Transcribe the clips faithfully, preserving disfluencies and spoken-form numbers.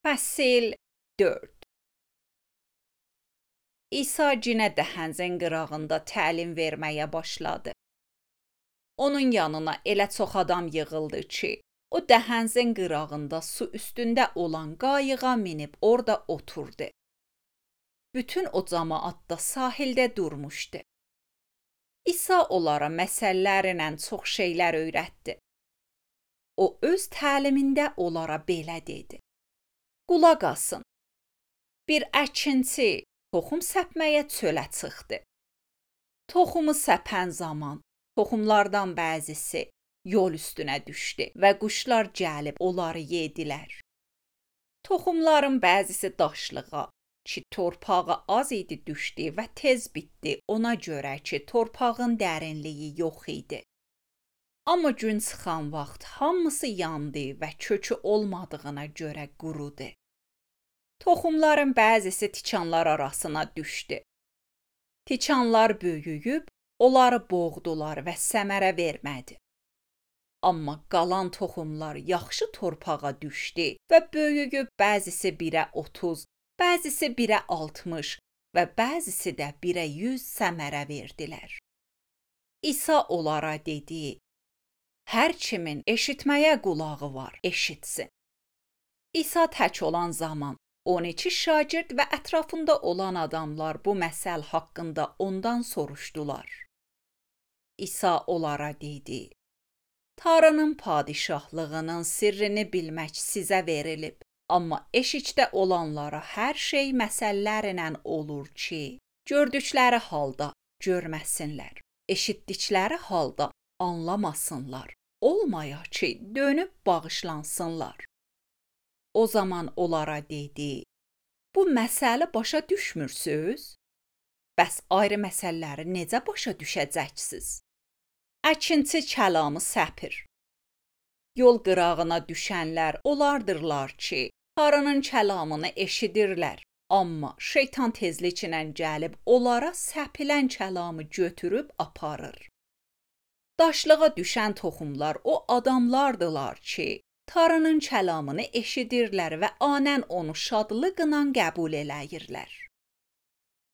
Fəsil dörd. İsa cinə dəhəncin qırağında təlim verməyə başladı. Onun yanına elə çox adam yığıldı ki, o dəhəncin qırağında su üstündə olan qayığa minib orada oturdu. Bütün o cəmaət da sahildə durmuşdu. İsa onlara məsəllərlə çox şeylər öyrətdi. O öz təlimində onlara belə dedi: Qulaq asın. Bir əkinçi toxum səpməyə çölə çıxdı. Toxumu səpən zaman toxumlardan bəzisi yol üstünə düşdü və quşlar gəlib onları yedilər. Toxumların bəzisi daşlığa, ki torpağa az idi düşdü və tez bitdi, ona görə ki torpağın dərinliyi yox idi. Amma gün çıxan vaxt hamısı yandı və kökü olmadığına görə qurudu. Toxumların bəzisi tikanlar arasına düşdü. Tikanlar böyüyüb, onları boğdular və səmərə vermədi. Amma qalan toxumlar yaxşı torpağa düşdü və böyüyüb bəzisi birə otuz, bəzisi birə altmış və bəzisi də birə yüz səmərə verdilər. İsa onlara dedi: Hər kimin eşitməyə qulağı var, eşitsin. İsa tək olan zaman on iki şagird və ətrafında olan adamlar bu məsəl haqqında ondan soruşdular. İsa onlara dedi: Tanrının padişahlığının sirrini bilmək sizə verilib, amma eşikdə olanlara hər şey məsəllərlə olur ki, gördükləri halda görməsinlər, eşitdikləri halda anlamasınlar, olmaya ki, dönüb bağışlansınlar. O zaman onlara dedi: Bu məsələ başa düşmürsünüz? Bəs ayrı məsələləri necə başa düşəcəksiniz? Əkinçi kəlamı səpir. Yol qırağına düşənlər onlardırlar ki, Tanrının kəlamını eşidirlər, amma şeytan tezliklə gəlib onlara səpilən kəlamı götürüb aparır. Daşlığa düşən toxumlar o adamlardılar ki, Tanrının kəlamını eşidirlər və anən onu şadlıqla qəbul eləyirlər.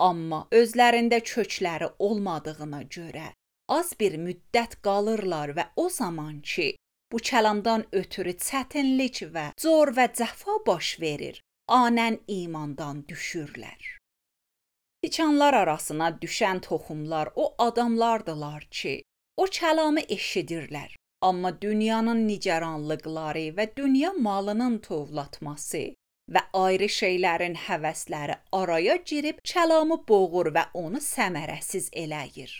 Amma özlərində kökləri olmadığına görə az bir müddət qalırlar və o zaman ki, bu kəlamdan ötürü çətinlik və zor və cəfa baş verir, anən imandan düşürlər. Tikanlar arasına düşən toxumlar o adamlardılar ki, o kəlamı eşidirlər, amma dünyanın nigaranlıqları və dünya malının tovlatması və ayrı şeylərin həvəsləri araya girib kəlamı boğur və onu səmərəsiz eləyir.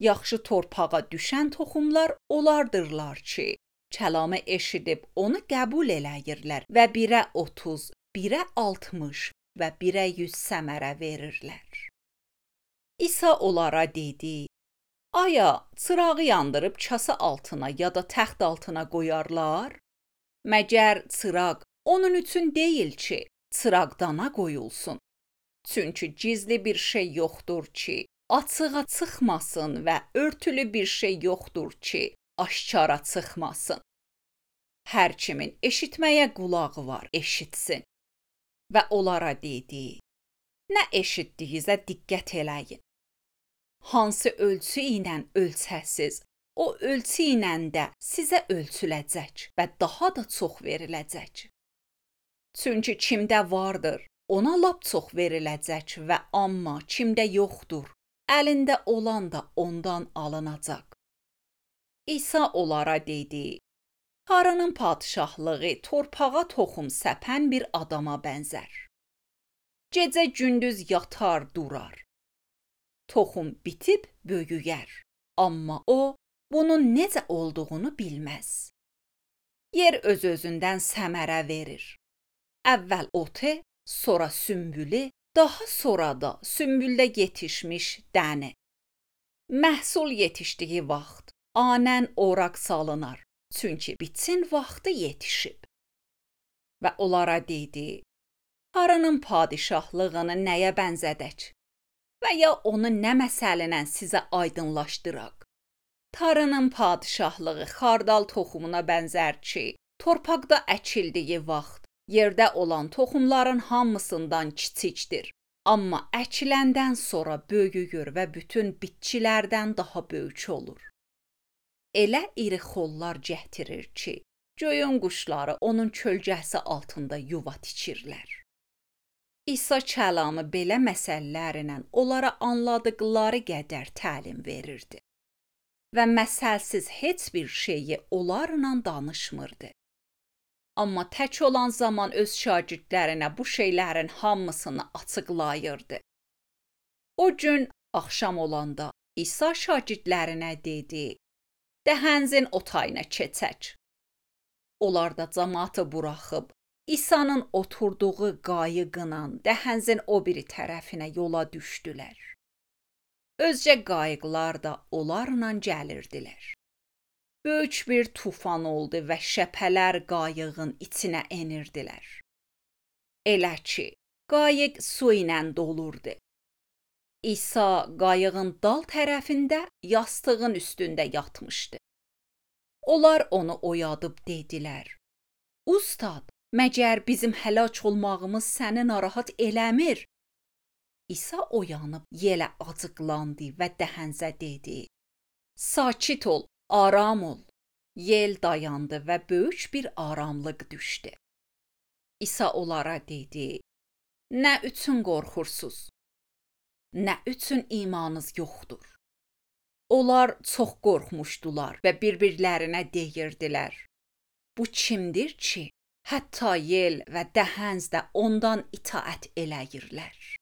Yaxşı torpağa düşən toxumlar onlardırlar ki, kəlamı eşidib onu qəbul eləyirlər və birə otuz, birə altmış və birə yüz səmərə verirlər. İsa onlara dedi: Aya çırağı yandırıb kasa altına ya da təxt altına qoyarlar? Məgər çıraq onun üçün deyil ki, çıraqdana qoyulsun. Çünki gizli bir şey yoxdur ki, açığa çıxmasın və örtülü bir şey yoxdur ki, aşkara çıxmasın. Hər kimin eşitməyə qulağı var, eşitsin. Və onlara dedi: Nə eşitdiyinizə diqqət eləyin. Hansı ölçü ilə ölçəsiz, o ölçü ilə də sizə ölçüləcək və daha da çox veriləcək. Çünki kimdə vardır, ona lap çox veriləcək və amma kimdə yoxdur, əlində olan da ondan alınacaq. İsa onlara dedi: Tanrının padişahlığı torpağa toxum səpən bir adama bənzər. Gecə gündüz yatar, durar. Toxum bitib böyüyər, amma o bunun necə olduğunu bilməz. Yer öz-özündən səmərə verir. Əvvəl otu, sonra sümbülü, daha sonra da sümbüldə yetişmiş dəni. Məhsul yetişdiyi vaxt anən oraq salınar, çünki biçin vaxtı yetişib. Və onlara dedi: Tanrının padişahlığını nəyə bənzədək? Və ya onu nə məsəllə sizə aydınlaşdıraq? Tanrının padişahlığı xardal toxumuna bənzər ki, torpaqda əkildiyi vaxt Yerdə olan toxumların hamısından kiçikdir, amma əkiləndən sonra böyüyür və bütün bitkilərdən daha böyük olur. Elə iri xollar gətirir ki, göyün quşları onun kölgəsi altında yuva tikirlər. İsa kəlamı belə məsəllərlə onlara anladıqları qədər təlim verirdi və məsəlsiz heç bir şeyi onlarla danışmırdı. Amma tək olan zaman öz şagirdlərinə bu şeylərin hamısını açıqlayırdı. O gün axşam olanda İsa şagirdlərinə dedi: "Dəhənzin o tayına keçək." Onlar da cəmaatı buraxıb İsa'nın oturduğu qayıqla dəhənzin o biri tərəfinə yola düşdülər. Özcə qayıqlar da onlarla gəlirdilər. Böyük bir tufan oldu və şəpələr qayığın içinə enirdilər. Elə ki, qayıq su ilə dolurdu. İsa qayığın dal tərəfində yastığın üstündə yatmışdı. Onlar onu oyadıb dedilər: "Ustad, məgər bizim həlak olmağımız səni narahat eləmir?" İsa oyanıb yelə acıqlandı və dəhənzə dedi: "Sakit ol, aram ol." Yel dayandı və böyük bir aramlıq düşdü. İsa onlara dedi: "Nə üçün qorxursuz? Nə üçün imanınız yoxdur?" Onlar çox qorxmuşdular və bir-birlərinə deyirdilər: "Bu kimdir ki, hətta yel və dəhənz də ondan itaət eləyirlər?"